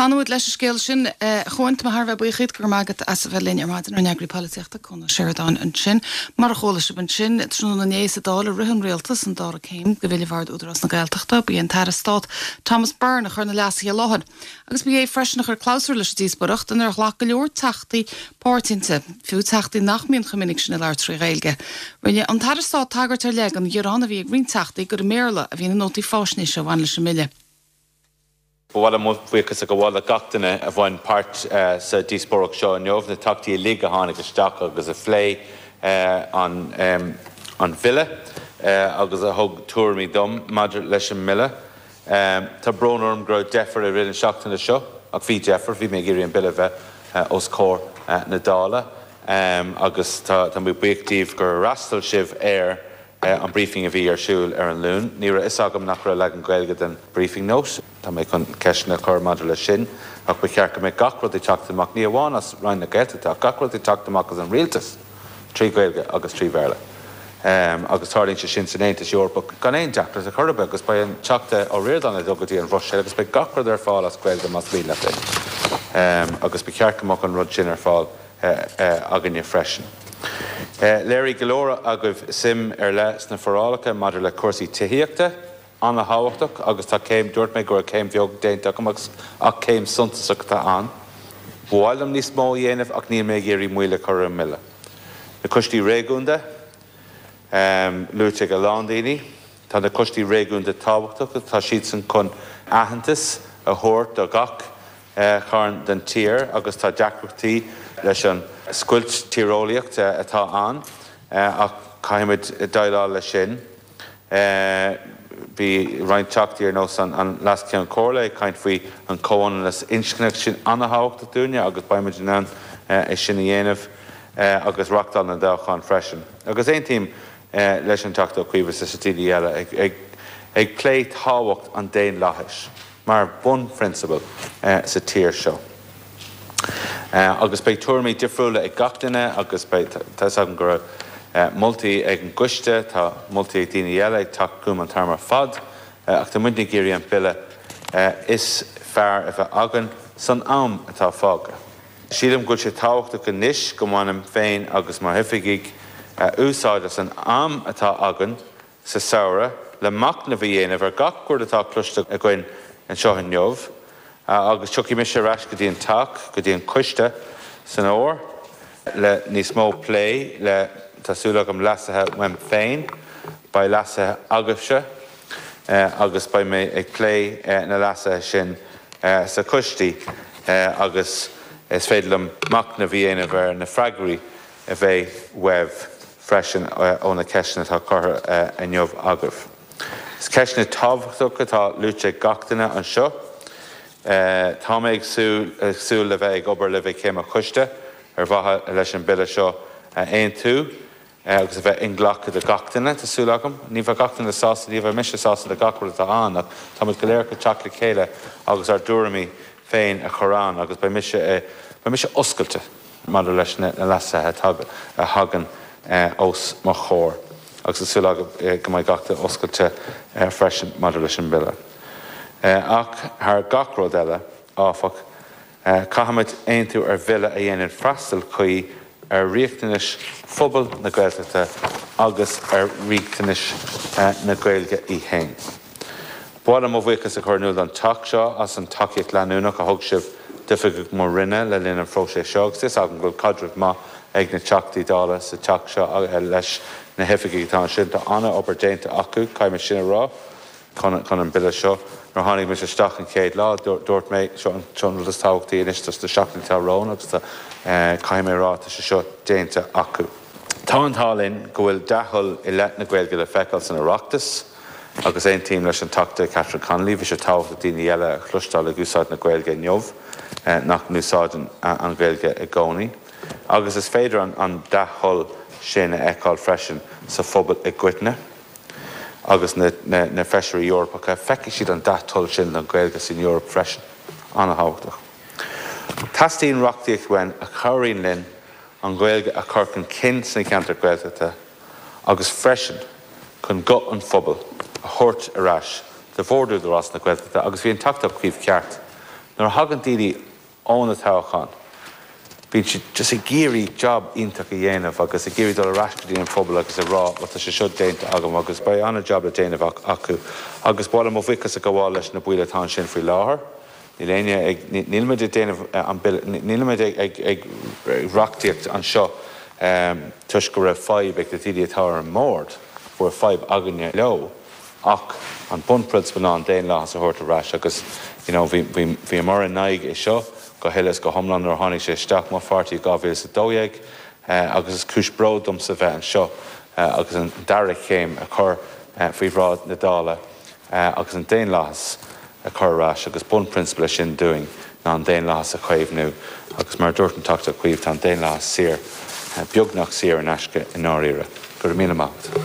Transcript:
Fanfaidh muid leis an scéal sin, a Chuain. Tá mé thar a bheith buíoch díot, go raibh maith agat as a bheith linn ar maidin, ár n-eagraí polaitíochta, Cuan Ó Seireadáin ansin. Mar a chuala sibh ansin, tráthnóna inné sa Dáil a rith an Rialtas an dara céim de bhille Bhord Údarás na Gaeltachta. Ba é an tAire Stáit Thomas Byrne a chuir na leasuithe i láthair. Agus ba é freisin a chuir clabhsúr leis an díospóireacht inar ghlac go leor teachtaí páirt inti, fiú teachtaí nach mbíonn chomh minic sin ag labhairt trí Ghaeilge. Rinne an tAire Stáit tagairt ar leith don ghearán a bhí ag roinnt teachtaí gur i mBéarla a bhí na nótaí faisnéise a bhain leis an mbille. Ba mhaith liom mo bhuíochas a ghabháil le gach duine a bhain páirt sa díospóireacht seo inniu, na Teachtaí uilig a tháinig isteach agus a phléigh an Bille agus a thug tuairimí dom maidir leis an mBille. Tá brón orm go raibh deifir i rith na seachtaine seo, ach bhí deifir, bhí mé ag iarraidh an Bille a bheith os comhair na Dála agus tá mé buíoch díbh gur fhreastail sibh ar an briefing a bhí ar siúl ar an Luan. Ní raibh fhios agam nach raibh leagan Gaeilge den briefing note. Tá mé chun ceisteanna a chur maidir leis sin ach ba cheart go mbeadh gach rud ag teacht amach, ní amháin as Roinn na Gaeltachta ach gach rud ag teacht amach as an Rialtas trí Ghaeilge agus trí Bhéarla. Agus tarlaíonn sé sin san Aontas Eorpach gan aon deacracht ar chor ar bith agus beidh an Teachta Ó Ríordáin ag dul go dtí an Bhruiséil agus beidh gach rud ar fáil as Gaeilge más mian leat é. Agus ba cheart go mbeadh an rud sin ar fáil againne freisin. Léirigh go leor agaibh suim ar leith sna forálacha maidir le cúrsaí tithíochta, an-thábhachtach, agus tá céim, dúirt mé go raibh céim bheag déanta agam agus ach céim suntasach atá ann. Ba mhaith liom níos mó a dhéanamh ach níl mé ag iarraidh moill a chur ar an mBille. Na coistí réigiúnda, luaite ag a lán daoine, tá na coistí réigiúnda tábhachtach, tá siadsan chun aitheantas a thabhairt do gach chearn den tír agus tá deacrachtaí leis an scoilt tíreolaíocht atá ann ach caithfimid déileáil leis sin. Bhí roinnt Teachtaí ar nós an Leas-Cheann Comhairle ag caint faoi an chomhionannas inscne, sin an-thábhachtach dúinne agus beimid in ann é sin a dhéanamh agus reáchtáil na dtoghchán freisin. Agus aontaím leis an Teachta Ó Cuív is leis na daoine eile ag plé tábhacht an daonlathais. mar bhunphrionsabal sa tír seo. Agus beidh tuairimí difriúla ag gach duine agus beidh, tá 'fhios agam go raibh moltaí ag an gcoiste, tá moltaí ag daoine eile ag teacht chugam an t-am ar fad, ach tá muidne ag iarraidh an Bille is fearr a bheith againn san am atá fágtha. Sílim go bhfuil sé tábhachtach anois go mbainim féin agus mo oifigigh úsáid as an am atá againn sa samhradh le machnamh a dhéanamh ar gach rud atá cloiste againn anseo inniu agus tiocfaidh mise ar ais go dtí an Teach, go dtí an coiste san fhómhar le níos mó plé, le, tá súil agam, leasuithe uaim féin, beidh leasuithe agaibhse agus beidh mé ag plé na leasuithe sin sna coistí agus is féidir liom machnamh a dhéanamh ar na freagraí a bheidh uaibh freisin ó na ceisteanna atá curtha inniu agaibh. Is ceisteanna tábhachtacha atá luaite ag gach duine anseo. Tá mé ag súil le bheith ag obair libh ag Céim an Choiste ar mhaithe leis an Bille seo a aontú agus a bheith inghlactha do gach duine, tá súil agam. Ní bheidh gach duine sásta, ní bheidh mise sásta le gach rud atá ann ach táimid go léir chun teacht le chéile agus ár dtuairimí féin a chur ann agus beidh mise, beidh mise oscailte. maidir leis na leasuithe a thagann os mo chomhair agus tá súil agam go mbeidh gach duine oscailte freisin maidir leis an mBille. Ach thar gach rud eile, áfach, caithfimid aontú ar Bhille a dhéanann freastal cuí ar riachtanais phobal na Gaeltachta agus ar riachtanais na Gaeilge í féin. Ba mhaith liom mo bhuíochas a chur in iúl don Teach seo as an tacaíocht leanúnach a thug sibh d'oifigigh mo Roinne le linn an phróiseas seo agus tá 'fhios agam go bhfuil caidreamh maith ag na Teachtaí Dála sa Teach seo leis na hoifigigh atá ansin. Tá an-obair déanta acu, caithfidh mé sin a rá, chun an Bille seo. Nuair a tháinig mise isteach an chéad lá, dúirt mé, seo an rud is tábhachtaí anois dos na seachtainí atá romhainn agus tá, caithfidh mé a rá, tá sé seo déanta acu. Tá an t-ádh linn go bhfuil dea-thoil i leith na Gaeilge le feiceáil san Oireachtas. Agus aontaím leis an Teachta Catherine Connolly, bhí sé tábhachtach daoine eile a chloisteáil ag úsáid na Gaeilge inniu nach n-úsáideann an Ghaeilge i gcónaí. Agus is féidir an dea-thoil sin a fheiceáil freisin sa phobal i gcoitinne. Agus na Feisirí Eorpacha, feicfidh siad an dea-thoil sin don Ghaeilge san Eoraip freisin. An-thábhachtach. Teastaíonn reachtaíocht uainn a chabhraíonn linn an Ghaeilge a chur chun cinn sna ceantair Ghaeltachta, agus freisin chun guth an phobail a thabhairt ar ais do Bhord Údarás na Gaeltachta agus bhí an Teachta Ó Cuív ceart. Nuair a thagann daoine ó na toghcháin, bíonn siad just ag iarraidh job iontach a dhéanamh agus ag iarraidh dul ar ais go dtí an phobal agus a rá bhuel tá sé seo déanta agam agus beidh an-job le déanamh acu. Agus ba mhaith liom mo bhuíochas a ghabháil leis na baill atá ansin faoi láthair. Níl éinne ag, nílimid ag déanamh an bille, nílimid ag reachtaíocht anseo toisc go raibh fadhb ag na daoine atá ar an mbord, go raibh fadhb againne leo, ach an bunphrionsabal ná an daonlathas a thabhairt ar ais agus you know bhí, bhí, bhíomar in aghaidh é seo go huile is go hiomlán nuair a tháinig sé isteach mo pháirtí i 2012 agus is cúis bróid domsa bheith anseo agus an dara chéim a chur faoi bhráid na Dála. agus an daonlathas a chur ar ais agus bunphrionsabal é sin dúinn ná an daonlathas a chaomhnú agus mar a dúirt an Teachta Ó Cuív tá an daonlathas saor, beagnach saor in aisce i ndáiríre. Go raibh míle maith agat.